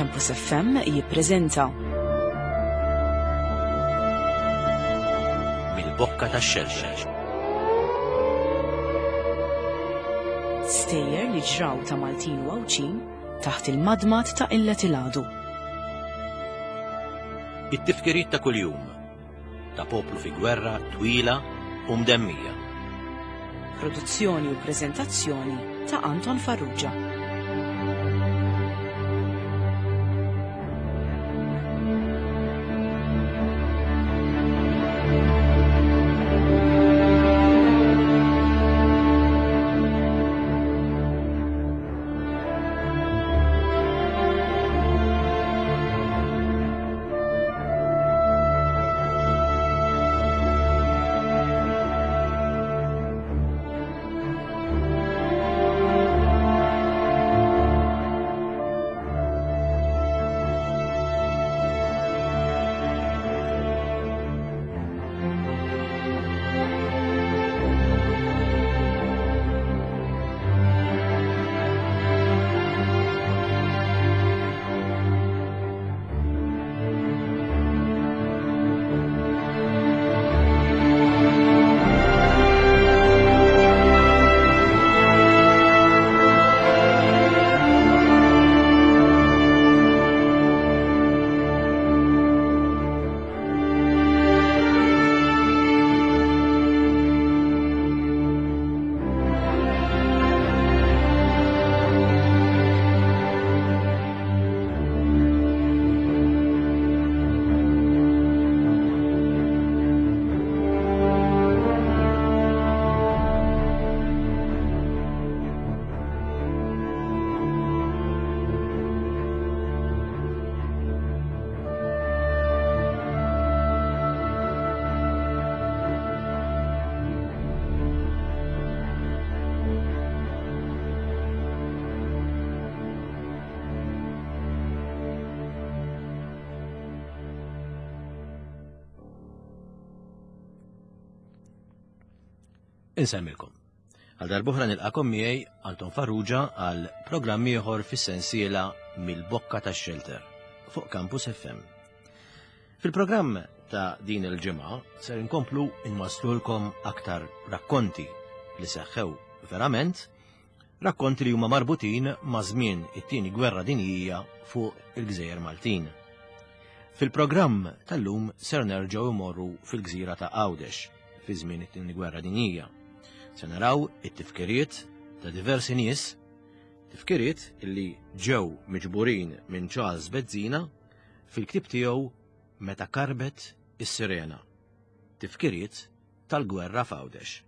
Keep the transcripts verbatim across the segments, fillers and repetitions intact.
Campus F M jippreżenta Mill-Bokka tax-Xelxel. Stejjer li ġraw ta' Maltin u Għawdxin taħt il-madmad ta' Illet il-Għadu. It-tifkiriet ta' kuljum ta' poplu fi gwerra twila u mdemmija. Produzzjoni u preżentazzjoni ta' Anton Farrugia. Insemmilkom. Għal darb'oħra nilqakom miegħi Anton Farrugia għal programm ieħor fis-sensiela Mill-Bokka tax-Xelter fuq Campus F M. Fil-programm ta' din il-ġimgħa ser inkomplu nwaslulkom aktar rakkonti li seħħew verament, rakkonti li huma marbutin ma' żmien it-tieni gwerra dinjija fuq il-Gżejjer Maltin. Fil-programm tal-lum ser nerġgħu imorru fil-gżira ta' Għawdex fi żmien it-tieni gwerra dinjija. Se naraw it-tifkiriet ta' diversi nies, tifkiriet illi ġew miġburin minn Charles Bezzina fil-ktieb tiegħu Meta Karbet is-Sirena, tifkiriet tal-gwerra f'Għawdex.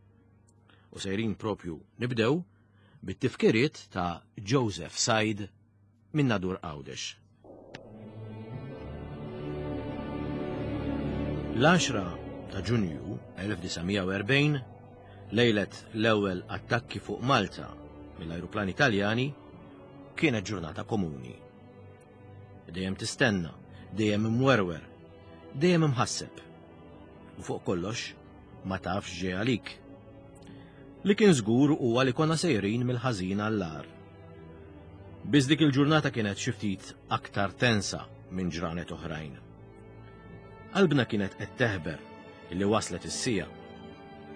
U sejrin propju nibdew bit-tifkiriet ta' Joseph Said minn Nadur Għawdex. L-għaxra ta' Ġunju elf disa' mija u erbgħin, lejlet l-ewwel attakki fuq Malta mill-ajruplani Taljani, kienet ġurnata komuni. Dejjem tistenna, dejjem imwerwer, dejjem imħasseb. U fuq kollox ma tafx ġej għalik. Li kien żgur huwa li konna sejrin mill-ħażin għall-agħar. Biss dik il-ġurnata kienet xi ftit aktar tensa minn ġranet oħrajn. Qalbna kienet qed teħber illi waslet is-sija.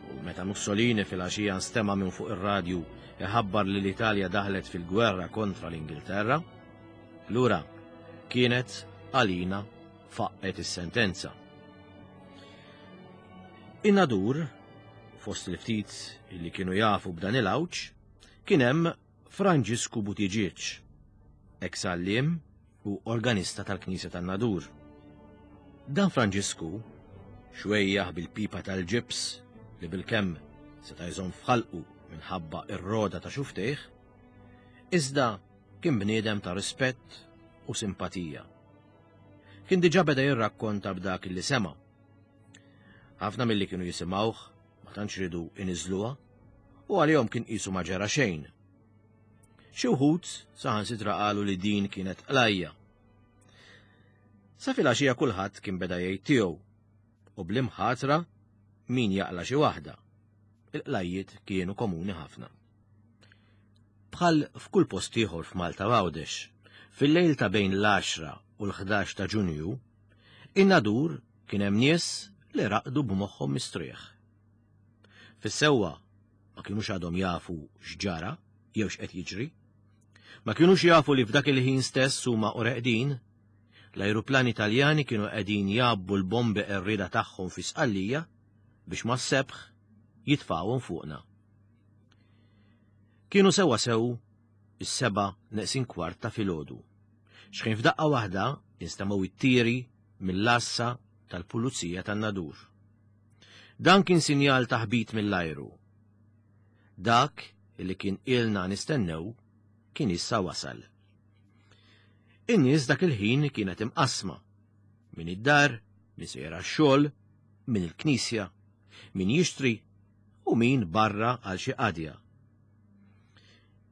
U meta Mussolini fil-għaxija nstema' minn fuq ir-radju iħabbar li l-Italja daħlet fil-gwerra kontra l-Ingilterra, lura kienet għalina faqqet is-sentenza. In-Nadur, fost il-ftit illi kienu jafu b'dan il-għawġ, kien hemm Franġisku Buttigieg, ex-għalliem u organista tal-Knisja tan-Nadur. Dan Franġisku, xwejjaħ bil-pipa tal-ġibs li bil-kemm seta' jżomm f'ħalqu minħabba ir-roda ta' xuftejh, iżda kien bniedem ta' rispett u simpatija. Kien diġà beda jirrakkonta b'dak li sema'. Ħafna milli kienu jisimgħuh ma tantx ridu iniżluha u għalihom kien qisu ma ġara xejn. Xi wħud saħansitra qalu li din kienet qlajja. Sa filgħaxija kulħadd kien beda jgħid tiegħu u bl-imħatra min jaqla xi waħda. Il-qlajjiet kienu komuni ħafna. Bħal f'kull post ieħor f'Malta Għawdex, Fil-lejl ta' bejn l-għaxra u l-ħdax ta' Ġunju, in-Nadur kien hemm nies li raqdu b'moħħhom mistrieħ. Fis-sewwa ma kinux għadhom jafu x'ġara jew x'qed jiġri. Ma kinux jafu li f'dak il-ħin stess huma u reqdin, l-ajruplani Taljani kienu qegħdin jgħabbu l-bombi qerrieda tagħhom fi Sqallija biex mas-sebħ jitfgħuhom fuqna. Kienu sewwa sew is-seba' neqsin kwart ta' filgħodu. X'ħin f'daqqa waħda instemgħu it-tiri mill-għassa tal-pulizija tan-Nadur. Dan kien sinjal ta' ħbit mill-ajru. Dak li kien ilna nistennew kien issa wasal. In-nies dak il-ħin kienet imqasma. Min id-dar, min sejjer għax-xogħol, min il-knisja, min jixtri u min barra għal xi qadja.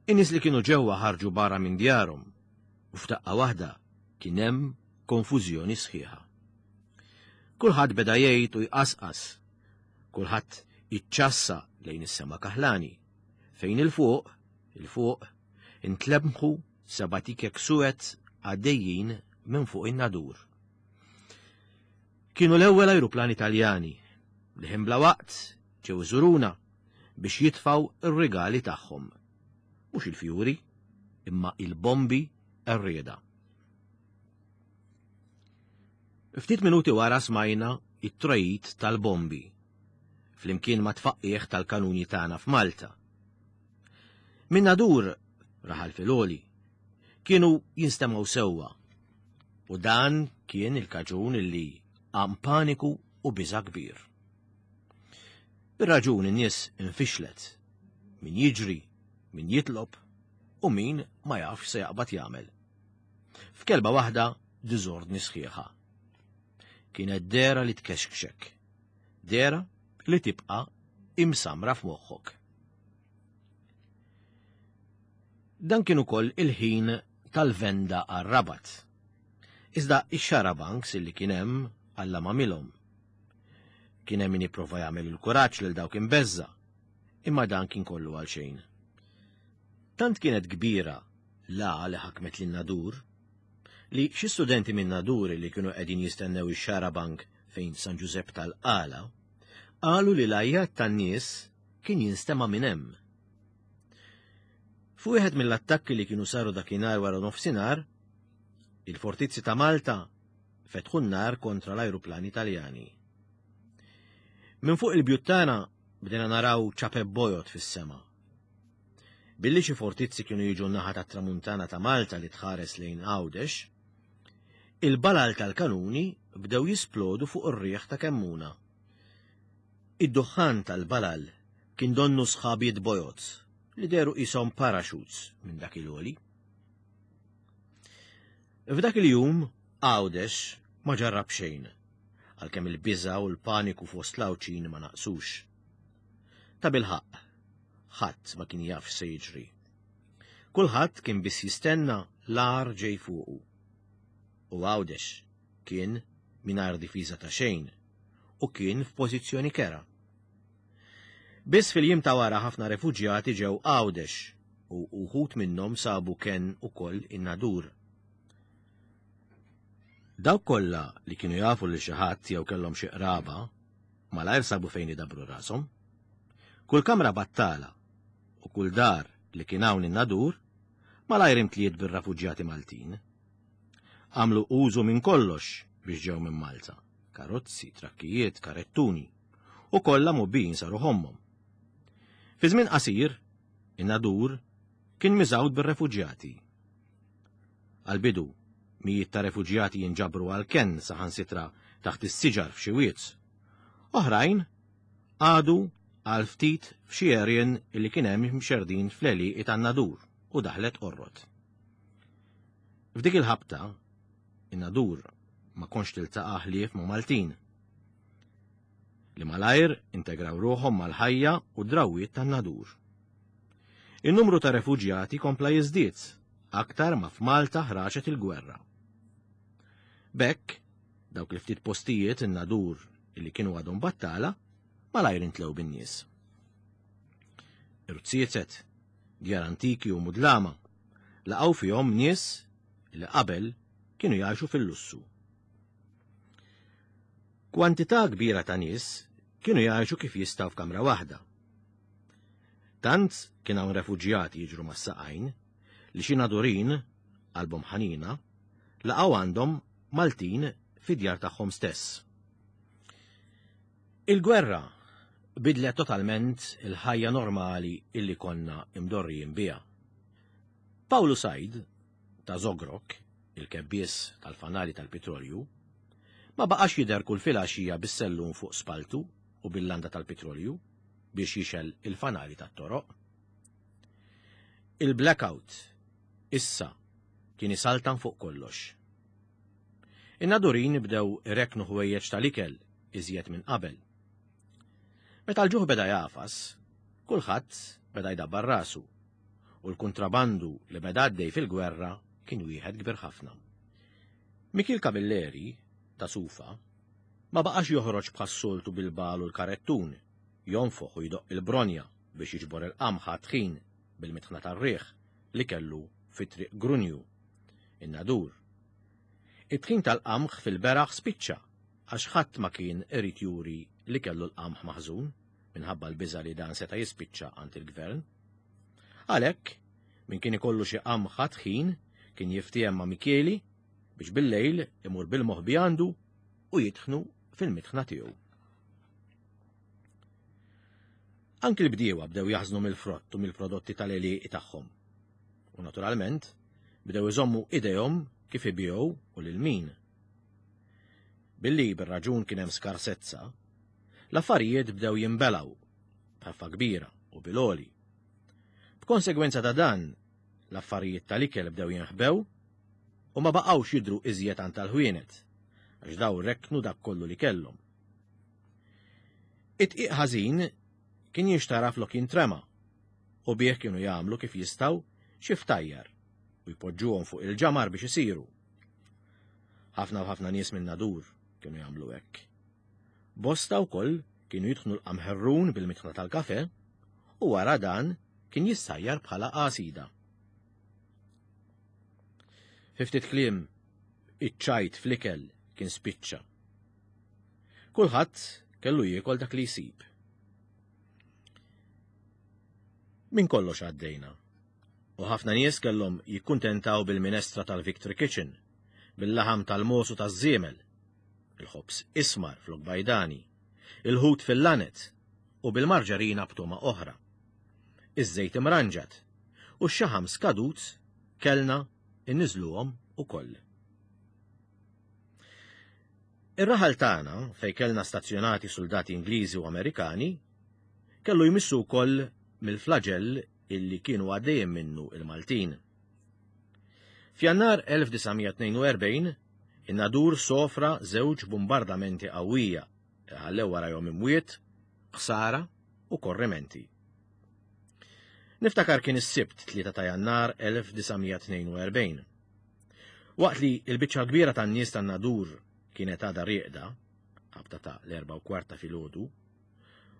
In-nies li kienu ġewwa ħarġu barra minn djarhom u f'daqqa waħda kien hemm konfużjoni sħiħa. Kulħadd beda jgħid u jqasqas, kulħadd iċċassa lejn is-sema kaħlani, fejn il-fuq, il-fuq, intlemħu seba' tikek suwed għaddejjin minn fuq in-Nadur. Kienu l-ewwel ajruplani Taljani li ħin bla waqt ġew iżuruna biex jitfgħu r-rigali tagħhom. Mhux il-fjuri, imma il-bombi qerrieda. Ftit minuti wara smajna it-trojit tal-bombi, flimkien ma' tfaqqieħ tal-kanuni tagħna f'Malta. Min Nadur, raħal filgħoli, kienu jinstemgħu sewwa, u dan kien il-kaġun illi qam paniku u biża' kbir. Bir-raġun in-nies infixlet, min jiġri, min jitlob u min ma jafx se jaqbad jagħmel. F'kelba waħda diżordni sħiħa. Kienet dera li tkexkxek, dera li tibqa' imsamra f'moħħok. Dan kien ukoll il-ħin tal-venda għar-Rabat. Iżda ix-xarabanks illi kien hemm Alla m'għamilhom. Kien hemm min jipprova jagħmel il-kuraġġ lil dawk imbeżża, imma dan kien kollu għal xejn. Tant kienet kbira l-għa li ħakmet lin Nadur li xi studenti minn Nadur li kienu qegħdin jistennew ix-xarabank fejn San Ġużepp tal-Qala qalu li l-għajjat tan-nies kien jinstema' minn hemm. Fuq wieħed mill-attakki li kienu saru dakinhar wara nofsinhar, il-fortizzi ta' Malta fetħu n-nar kontra l-ajruplani Taljani. Minn fuq il-bjut tagħna bdejna naraw ċapep bojod fis-sema. Billi xi fortizzi kienu jiġu n-naħa tat-tramuntana ta' Malta li tħares lejn Għawdex, il-balal tal-kanuni bdew jisplodu fuq ir-riħ ta' Kemmuna. Id-duħħan tal-balal kien donnu sħabiet bojod li dehru qishom parachutes minn dak il-għoli. F'dak il-jum Għawdex ma ġarrab xejn, għalkemm il-biża' u l-paniku fost l-Għawdxin ma naqsux. Ta' bilħaqq, ħadd ma kien jaf x'se jiġri. Kulħadd kien biss jistenna l-agħar ġej fuqu. U Għawdex kien mingħajr difiża ta' xejn u kien f'pożizzjoni kera. Biss fil-jiem ta' wara ħafna refuġjati ġew Għawdex u uħud minnhom sabu kenn ukoll in-Nadur. Dawk kollha li kienu jafu lil xi ħadd jew kellhom xi qraba, malajr sabu fejn idabru rashom. Kull kamra battala u kull dar li kien hawn in-Nadur malajr imtliet bir-refuġjati Maltin. Għamlu użu minn kollox biex ġew minn Malta, karozzi, trakkijiet, karettuni, u kollha mobbijin saru ħommhom. Fi żmien qasir, in-Nadur kien miżgħud bir-refuġjati. Għal-bidu, mijiet ta' refuġjati jinġabru għal kenn saħansitra taħt is-siġar f'xi wied. Oħrajn għadu għal ftit f'xi għerien li kien hemm mxerdin fl-għelieqi tan-Nadur u daħlet qorrot. F'dik il-ħabta, in-Nadur ma kontx tiltaqa' ħlief ma' Maltin li malajr integraw ruħhom mal-ħajja u d-drawwiet tan-Nadur. In-numru ta' refuġjati kompla jiżdied aktar ma f'Malta ħraġet il-gwerra. B'hekk, dawk li ftit postijiet in-Nadur illi kienu għadhom battala malajr intlew bin-nies. Irziezet, djar antiki u mudlama, laqgħu fihom nies li qabel kienu jgħixu fil-lussu. Kwantità kbira ta' nies kienu jgħixu kif jistgħu f'kamra waħda. Tant kien hawn refuġjati jiġru mas-saqajn li xi Nadurin, qalbhom ħanina, laqgħu għandhom Maltin fid-djar tagħhom stess. Il-gwerra bidlet totalment il-ħajja normali illi konna imdorrijin biha. Pawlu Said, ta' Zogrok, il-kebbies tal-fanali tal-petrolju, ma baqax jidher kull filgħaxija bis-sellum fuq spaltu u bil-landa tal-petrolju biex jixgħel il-fanali tat-toroq. Il-blackout issa kien isaltan fuq kollox. In-Nadurin bdew ireknu ħwejjeġ tal-ikel iżjed minn qabel. Meta l-ġuħ beda jagħfas, kulħadd beda jdabbar rasu u l-kontrabandu li beda għaddej fil-gwerra kien wieħed kbir ħafna. Mikil Camilleri ta' Sufa ma baqax joħroġ bħas-soltu bil-bal u l-karettun, jonfoħ u jdoq il-bronja biex jiġbor il-qamħa tħin bil-mitħna tar-riħ li kellu fi Triq Grunju, in-Nadur. It-tħin tal-qamħ fil-beraħ spiċċa għax ħadd ma kien irid juri li kellu l-qamħ maħżun minħabba l-biża' li dan seta' jispiċċa għand il-gvern. Għalhekk, min kien ikollu xi qamħ tħin kien jiftiehem ma' Mikieli biex bil-lejl imur bil-moħbi għandu u jitħnu fil-mitħna tiegħu. Anki l-bdiewa bdew jaħżnu mill-frott u mill-prodotti tal-għelieqi tagħhom. U naturalment bdew iżommu idejhom kif ibigħu u lil min. Billi bir-raġun kien hemm skarsezza, l-affarijiet bdew jinbelgħu b'ħeffa kbira u bil-għoli. B'konsegwenza ta' dan, l-affarijiet tal-ikel bdew jinħbew u ma baqgħux jidhru iżjed għand tal-ħwienet, għax daw reknu dak kollu li kellhom. It-tqiq ħażin kien jinxtara flok jintrema u bih kienu jagħmlu kif jistgħu xi ftajjar u jpoġġuhom fuq il-ġamar biex isiru. Ħafna u ħafna nies minn Nadur kienu jagħmlu hekk. Bosta wkoll kienu jidħnu l-qamħerrun bil-mitħna tal-kafe u wara dan kien jissajjar bħala qasida. Fi ftit kliem, iċ-ċajt fl-ikel kien spiċċa. Kulħadd kellu jiekol dak li jsib. Min kollox għaddejna. U ħafna nies kellhom jikkuntentaw bil-minestra tal-Victory Kitchen, bil-laħam tal-mosu taż-żiemel, il-ħobż ismar flok bajdani, il-ħut fil-lanet u bil-marġarina b'toma oħra. Iż-żejt imranġat u x-xaħam skadut kellna inniżluhom ukoll. Ir-raħal tagħna fejn kellna stazzjonati soldati Ingliżi u Amerikani kellu jmissu wkoll mill-flagell illi kienu għaddejjem minnu il-Maltin. F'Jannar elf disa' mija tnejn u erbgħin, in-Nadur sofra żewġ bombardamenti qawwija li ħallew warajhom imwiet, ħsara u korrimenti. Niftakar kien is-Sibt tlieta ta' Jannar elf disa' mija tnejn u erbgħin. Waqt li l-biċċa kbira tan-nies tan-Nadur kienet għadha rieqda, ħabta ta' l-erba' u kwart ta' filgħodu,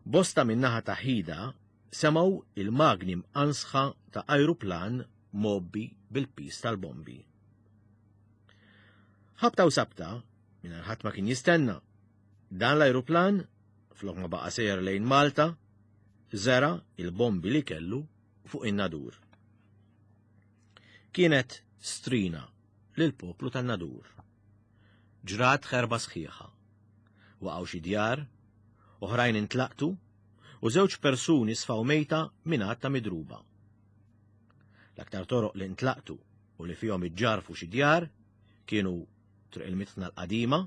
bosta min-naħa ta' Ħida semgħu il-magni mqansħa ta' ajruplan mgħobbi bil-pis tal-bombi. Ħabta u sabta, mingħajr ħadd ma kien jistenna, dan l-ajruplan, flok ma baqa' sejjer lejn Malta, żera il-bombi li kellu fuq in-Nadur. Kienet strina lill-poplu tan-Nadur. Ġrat ħerba sħiħa. Waqgħu xi djar, oħrajn intlaqtu, u żewġ persuni sfaw mejta minn għadd ta' midruba. L-aktar toroq li ntlaqtu u li fihom iġġarfu xi djar kienu Triq il-Mitħna l-Qadima,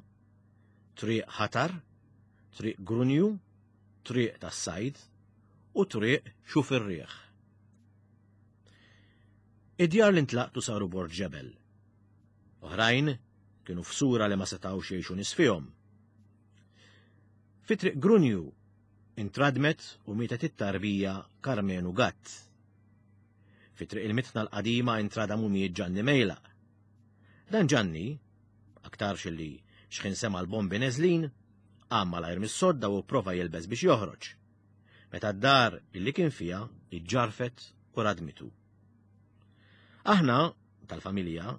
Triq Ħatar, Triq Grunju, Triq tas-Sajd u Triq Xuf ir-Riħ. Id-djar li ntlaqtu saru bord ġebel. Oħrajn kienu f'sura li ma setgħux jgħixu nies fihom. Fi Triq Grunju intradmet u mietet it-tarbija Karmenu Gatt. Fi Triq il-Mitħna l-Qadima intradam u miet Ġanni Mejlaq. Dan Ġanni, aktarx li xħin sema l-bombi neżlin, qam malajr mis-sodda u prova jilbes biex joħroġ. Meta d-dar illi kien fiha iġġarfet u radmitu. Aħna, tal-familja,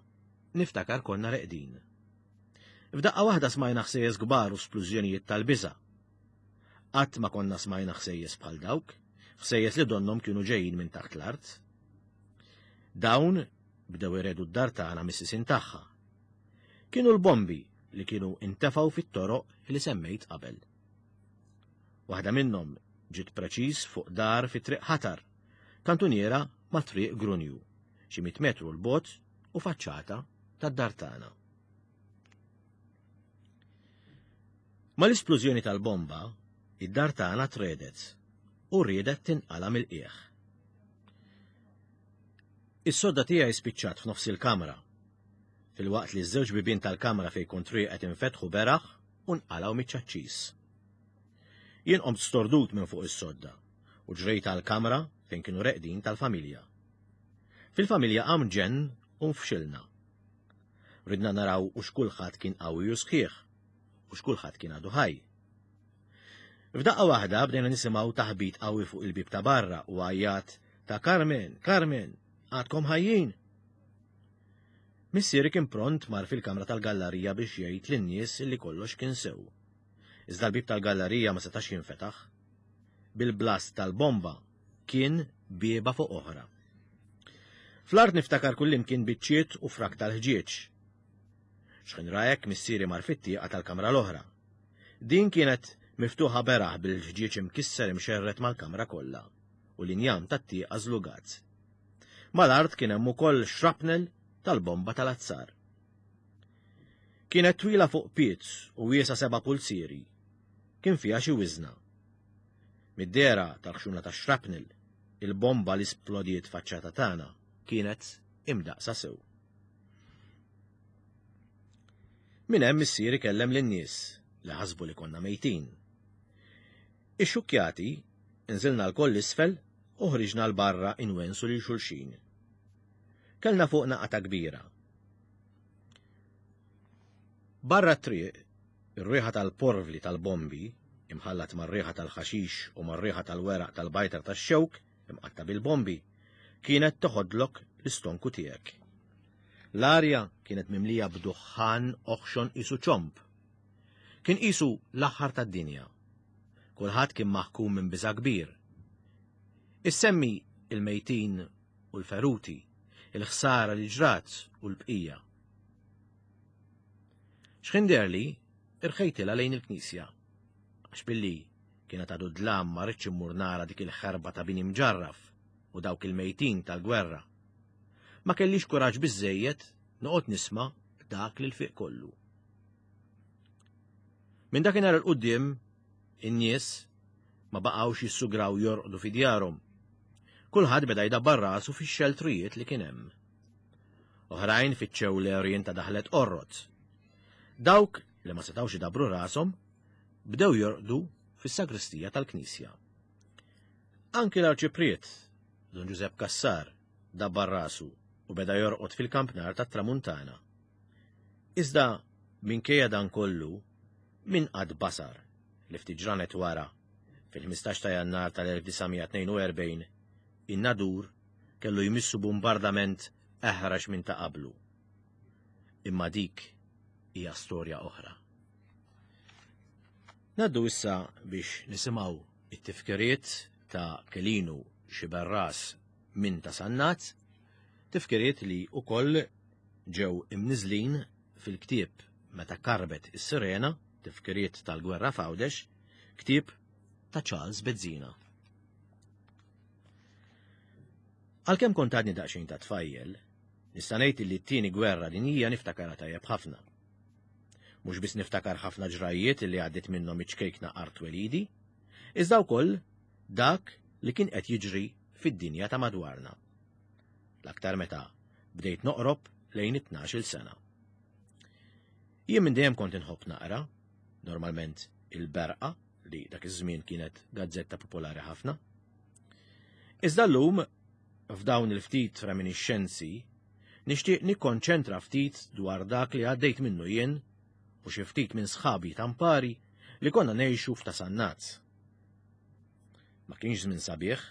Niftakar konna reqdin. F'daqqa waħda smajna ħsejjes kbar u splużjonijiet tal-biża'. Qatt ma konna smajna ħsejjes bħal dawk, ħsejjes li donnhom kienu ġejjin minn taħt l-art. Dawn bdew iredu d-dar tagħna mis-sisin tagħha. Kienu l-bombi li kienu intefgħu fit-toroq li semmejt qabel. Waħda minnhom ġiet preċiż fuq dar fi Triq Ħatar, kantuniera ma' Triq Grunju, xi mitt metru 'l bogħod u faċċata tad-dar tagħna. Mal-isplużjoni tal-bomba, id-dar tagħna tredet u riedet tinqala mill-qiegħ. Is-sodda tiegħi spiċċat f'nofs il-kamra, filwaqt li ż-żewġ bibien tal-kamra fejn kont rieqed infetħu beraħ u nqalgħu miċ-ċaċċis. Jien qomt stordut minn fuq is-sodda u ġrejt għall-kamra fejn kienu reqdin tal-familja. Fil-familja qam ġenn u nfxilna. Ridna naraw u x'kulħadd kien qawwi u sħiħ u x'kulħadd kien għadu ħaj. F'daqqa waħda bdejna nisimgħu taħbit qawwi fuq il-bib ta' barra u għajjat ta' Carmen, Carmen, għadkom ħajjin. Missieri kien pront mar fil-kamra tal-gallerija biex jgħid lin-nies li kollox kien sew. Iżda l-bib tal-gallerija ma setax jinfetaħ. Bil-blast tal-bomba kien bieba fuq oħra. Fl-art niftakar kullimkien biċċiet u frak tal-ħġieġ. X'ħin rajek missieri mar fit-tieqa tal-kamra l-oħra. Din kienet miftuħa beraħ bil-ħġieġ imkisser imxerret mal-kamra kollha u l-injam tat-tieqa żlugat. Mal-art kien hemm ukoll shrapnel tal-bomba tal-azzar. Kienet twila fuq piet u wiesa seba' pulzieri. Kien fiha xi wiżna. Mid-dehra tal-ħxuna tax-shrapnel, il-bomba li splodiet faċċata tagħna kienet imdaqsa sew. Minn hemm missieri kellem lin-nies li ħasbu li konna mejtin. Ixxukkjati nżilna lkoll isfel u ħriġna l barra inwensu lil xulxin. Kellna fuqna qata kbira. Barra t-triq, ir-riħa tal-porvli tal-bombi, imħallat mar-riħa tal-ħaxix u mar-riħa tal-weraq tal-bajtar tax-xewk imqatta bil-bombi, kienet toħodlok l-istonku tiegħek. L-arja kienet mimlija b'duħħan oħxon qisu ċomb. Kien qisu l-aħħar tad-dinja. Kulħadd kien maħkum minn biża' kbir. Issemmi il-mejtin u l-feruti, il-ħsara li ġrat u l-bqija. X'ħin deherli, irħejtilha lejn il-knisja. Għax billi kienet għadu dlam ma rridx immur nara dik il-ħerba ta' bini mġarraf u dawk il-mejtin tal-gwerra. Ma kellix kuraġġ biżżejjed noqgħod nisma' dak li l-fiq kollu. Minn dakinhar 'il quddiem, in-nies ma baqgħux jissugraw jorqdu fi djarhom. Kulħadd beda jdabbar rasu fix-xeltrijiet li kien hemm. Oħrajn fittxew l-għerien ta' daħlet orrot. Dawk li ma setgħux idabru rashom bdew jorqdu fis-sagristija tal-knisja. Anki l-arċipriet, Don Giuseppe Cassar, dabbar rasu u beda jorqod fil-kampnar tat-Tramuntana. Iżda minkejja dan kollu, min qatt basar li ftit ġranet wara, fil-ħmistax ta' Jannar tal-elf disa' tnejn u erbgħin, in-Nadur kellu jmissu bombardament eħrax minn ta' qablu. Imma dik hija storja oħra. Naddu issa biex nisimgħu it-tifkiriet ta' Kelinu Xiberras minn ta' Sannat, tifkiriet li wkoll ġew imniżlin fil-ktieb Meta Karbet is-Sirena, tifkiriet tal-Gwerra f'Għawdex, ktieb ta' Charles Bezzina. Għalkemm kont għadni daqsxejn ta' tfajjel, nista' ngħid li t-tieni gwerra dinjija niftakarha tajjeb ħafna. Mhux biss niftakar ħafna ġrajiet li għaddiet minnhom iċ-ċkejkna art twelidi, iżda wkoll dak li kien qed jiġri fid-dinja ta' madwarna. L-aktar meta bdejt noqrob lejn it-tnax-il sena. Jien minn dejjem kont inħobb naqra, normalment il-Berqa, li dak iż-żmien kienet gazzetta popolari ħafna. Iżda llum, f'dawn il-ftit reminiscenzi, nixtieq nikkonċentra ftit dwar dak li għaddejt minnu jien u xi ftit minn sħabi tampari li konna ngħixu f'ta' Sannat. Ma kienx żmien sabiħ,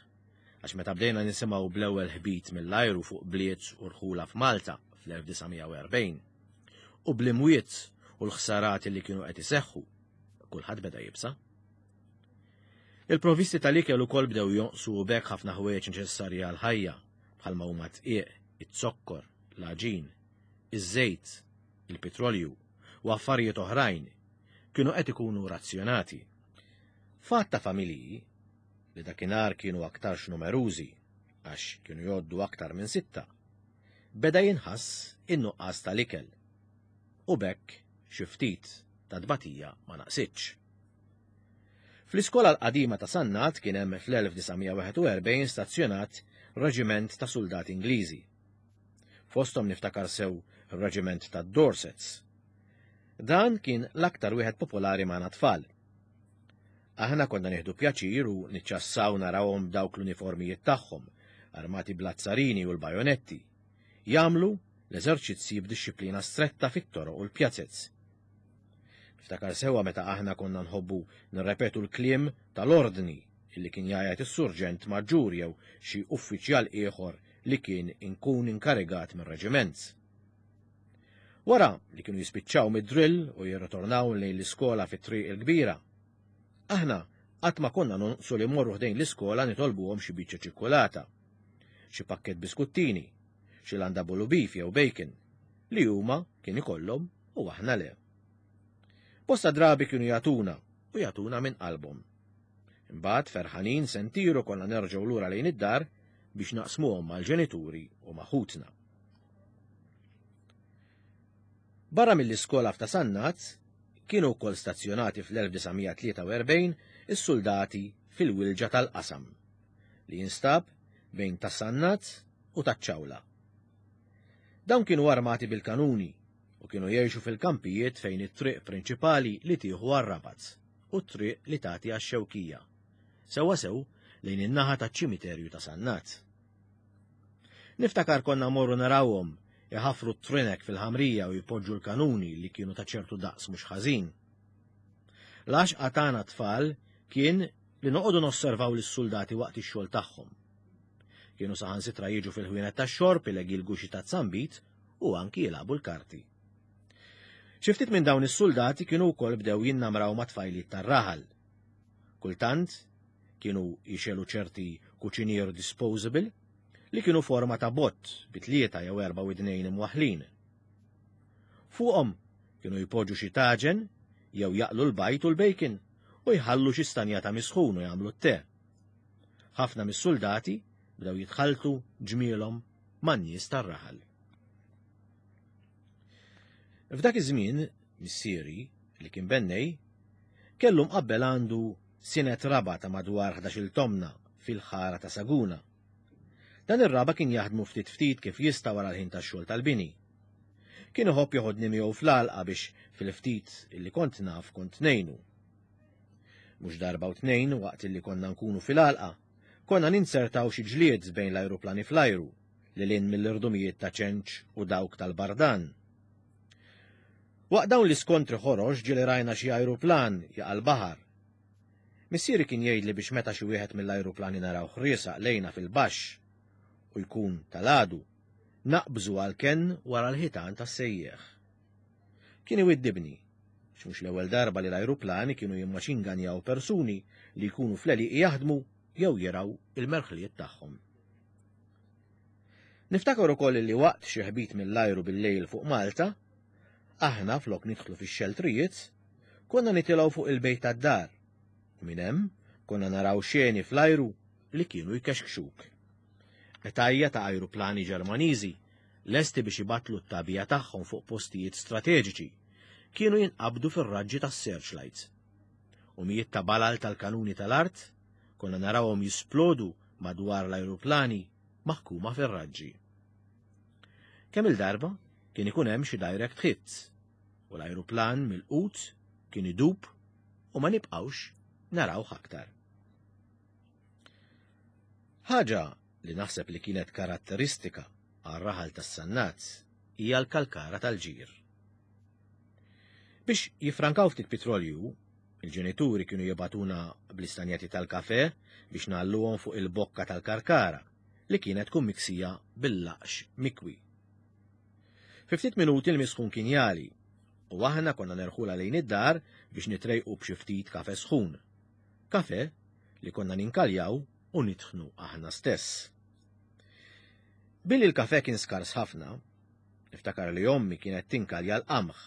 għax meta bdejna nisimgħu bl-ewwel ħbit mill-ajru fuq bliet u rħula f'Malta fl-elf disa' mija u erbgħin. U bl-imwiet u l-ħsarat li kienu qed iseħħu, kulħadd beda jibsa. Il-provvisti tal-ikel ukoll bdew jonqsu u b'hekk ħafna ħwejjeġ neċessarji għall-ħajja, bħalma huma dqiq, iz-zokkor, l-għaġin, iż-żejt, il-petrolju u affarijiet oħrajn kienu qed ikunu razzjonati. Fatt ta' familji li dakinhar kienu aktarx numerużi għax kienu jgħoddu aktar minn sitta, beda jinħass in-nuqqas tal-ikel u b'hekk xi ftit ta' tbatija ma naqsitx. Fl-iskola l-qadima ta' Sannat kien hemm fl-elf disa' mija wieħed u erbgħin stazzjonat reġiment ta' soldati Ingliżi. Fosthom niftakar sew ir-reġiment ta' Dorsets. Dan kien l-aktar wieħed popolari magħna tfal. Aħna konna nieħdu pjaċir u niċċassaw narawhom dawk l-uniformijiet tagħhom, armati bl-azzarini u l-bajonetti, jagħmlu l-eżerċizzi b'dixxiplina stretta fit-toroq u l-pjazez. Niftakar sewwa meta aħna konna nħobbu nirrepetu l-kliem tal-ordni illi kien jgħajjat is-surġent maġġur jew xi uffiċjal ieħor li kien inkun inkarigat mir-reġiment. Wara li kienu jispiċċaw mid-drill u jirritornaw lejn l-iskola fit-triq il-kbira, aħna qatt ma konna nonqsu li mmorru ħdejn l-iskola nitolbuhom xi biċċa ċikkulata, xi pakkett biskuttini, xi landa bolu beef jew bacon, li huma kien ikollhom u aħna le. Bosta drabi kienu jagħtuna u jagħtuna minn qalbhom. Imbagħad ferħanin sentiru konna nerġgħu lura lejn id-dar biex naqsmuhom mal-ġenituri u ma' ħutna. Barra mill-iskola f'ta' Sannat, kienu wkoll stazzjonati fl-elf disa' mija tlieta u erbgħin is-soldati fil-wilġa tal-qasam, li jinstab bejn ta' Sannat u taċ-Ċawla. Dawn kienu armati bil-kanuni u kienu jgħixu fil-kampijiet fejn it-triq prinċipali li tieħu għar-Rabat u t-triq li tagħti għax-Xewkija, sewwasew lejn in-naħa taċ-ċimiterju ta' Sannat. Niftakar konna morru narawhom iħafru t-trinek fil-ħamrija u jpoġġu l-kanuni li kienu ta' ċertu daqs mhux ħażin. L-għaxqa tagħna tfal kien li noqogħdu nosservaw lis-soldati waqt ix-xogħol tagħhom. Kienu saħansitra jiġu fil-ħwienet tax-xorb ilegilgu xi tazzambit u anki jilagħbu l-karti. Xi ftit minn dawn is-soldati kienu wkoll bdew jinnamraw ma' tfajliet tar-raħal. Kultant kienu jixelu ċerti kuċinier disposable li kienu forma ta' bott bi tlieta jew erba' widnejn imwaħħlin. Fuqhom kienu jpoġġu xi taġen jew jaqlu l-bajt u l-bacon u jħallu xi stanja ta' misħun u jagħmlu t-te. Ħafna mis-soldati bdew jitħalltu ġmielhom man-nies tar-raħal. F'dak iż-żmien, missieri, li kien bennej, kellu mqabbel għandu sinet raba ta' madwar ħdax-il tomna fil-ħara ta' Saguna. Dan ir-raba kien jaħdmu ftit ftit kif jista' wara l-ħin tax-xogħol tal-bini. Kien iħobb joħodni miegħu fl-għalqa biex fil-ftit illi kont naf kont ngħinu. Mhux darba u tnejn waqt illi konna nkunu fil-għalqa, konna ninsertaw xi ġlied bejn l-ajruplani fl-ajru, li lin mill-irdumijiet ta' ċenċ u dawk tal-Bardan. Waqt dawn l-iskontri ħorox ġieli rajna xi ajruplan jaqa' l-baħar. Missieri kien jgħidli biex meta xi wieħed mill-ajruplani naraw ħriesaq lejna fil-baxx u jkun tal-għadu, naqbżu għal kenn wara l-ħitan tas-sejjieħ. Kien iwiddibni, x'mhux l-ewwel darba li l-ajruplani kienu jimmaxinganjaw persuni li jkunu fl-għelieqi jaħdmu jew jiraw il-merħliet tagħhom. Niftakar ukoll li waqt xi ħbit mill-ajru bil-lejl fuq Malta, aħna flok nidħlu fix-xeltrijiet, konna nitilgħu fuq il-bejt tad-dar. U minn hemm konna naraw xeni fl-ajru li kienu jkexkxuk. Qtajja ta' ajruplani Ġermaniżi lesti biex ibatlu t-tabija tagħhom fuq postijiet strateġiċi kienu jinqabdu fir-raġġi tas-searchlights. U mijiet ta' balal tal-kanuni tal-art konna narawhom jisplodu madwar l-ajruplani maħkuma fir-raġġi. Kemm il-darba kien ikun hemm xi direct hits u l-ajruplan mill-qut kien idub u ma nibqgħux narawh aktar. Ħaġa li naħseb li kienet karatteristika għar-raħal tas-Sannat hija l-kalkara tal-ġir. Biex jifrankaw ftit petrolju, il-ġenituri kienu jibatuna bl-istanjati tal-kafe biex nagħlluhom fuq il-bokka tal-karkara li kienet tkun miksija bil-laqx mikwi. Fi ftit minuti l-misħun kien jali, u aħna konna nerħula lejn id-dar biex nitrejqu b'xi ftit kafe sħun. Kafe li konna ninkaljaw u nitħnu aħna stess. Billi l-kafe kien skars ħafna, niftakar li ommi kienet tinkalja l-qamħ,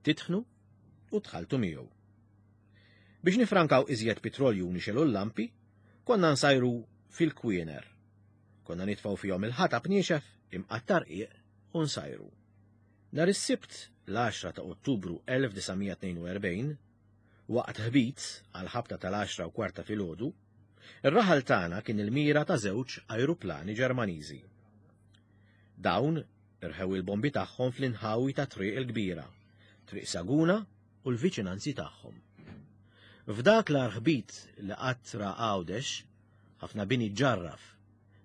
titħnu u tħaltu miegħu. Biex nifrankaw iżjed petrolju u nixelu l-lampi, konna nsajru fil-kwiener. Konna nitfgħu fihom il-ħatab niexef imqattar qiq u nsajru. Nhar is-Sibt l-għaxra ta' Ottubru elf disa' mija tnejn u erbgħin, waqt ħbit għal ħabta tal-għaxra u kwarta filgħodu, ir-raħal tagħna kien il-mira ta' żewġ ajruplani Ġermaniżi. Dawn irħew il-bombi tagħhom fl-inħawi ta' Triq il-Kbira, Triq Saguna u l-viċinanzi tagħhom. F'dak l-arħbit li qatt ra Għawdex, ħafna bini ġarraf,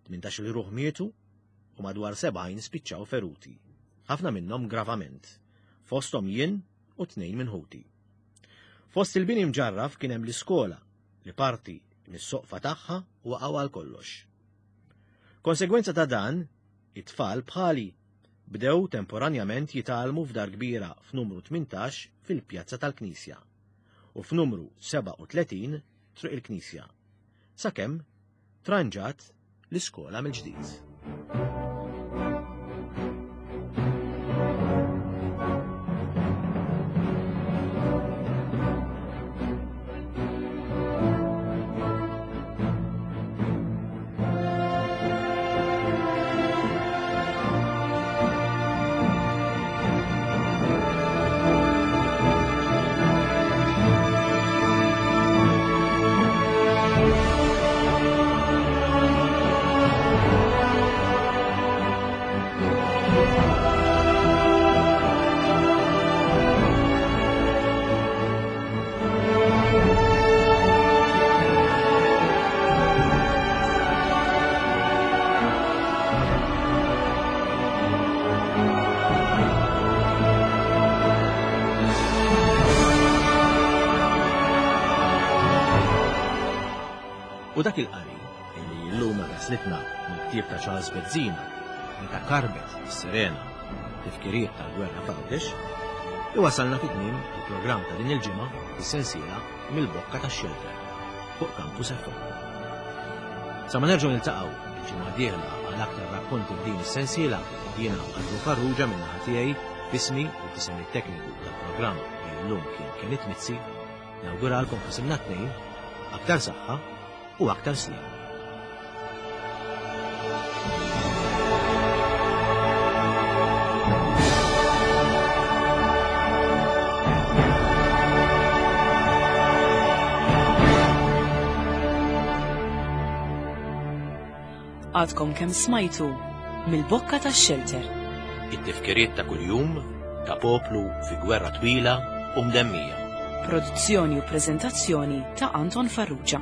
tmintax-il ruħ mietu u madwar sebgħin spiċċaw feruti, ħafna minnhom gravament, fosthom jien u tnejn minn ħuti. Fost il-bini mġarraf kien hemm l-iskola li parti mis-soqfa tagħha waqgħu għal kollox. Konsegwenza ta' dan, it-tfal bħali bdew temporanjament jitgħallmu f'dar kbira f'numru tmintax fil-Pjazza tal-Knisja u f'numru sebgħa u tletin Triq il-Knisja, sakemm tranġat l-iskola mill-ġdid. U dak il-qari li llum waslitna mill-ktieb ta' Charles Bezzina meta karbet is-sirena tifkiriet tal-gwerra f'Għawdex, iwasalna fi tmiem il-programm ta' din il-ġimgħa fis-sensiela mill-bokka tax-xelter fuq Campus F M. Sa ma nerġgħu niltaqgħu il-ġimgħa d-dieħla għal aktar rakkonti f'din is-sensiela, jiena Andrew Farrugia minn naħa tiegħi f'ismi u f'isem it-tekniku tal-programm li llum kien Kenneth Mizzi, nawguralkom f'isimna tnejn aktar saħħa u aktar snin. Għadkom kemm smajtu mill-bokka tax-xelter. It-tifkiriet ta' kuljum ta' poplu fi gwerra twila u mdemmija. Produzzjoni u preżentazzjoni ta' Anton Farrugia.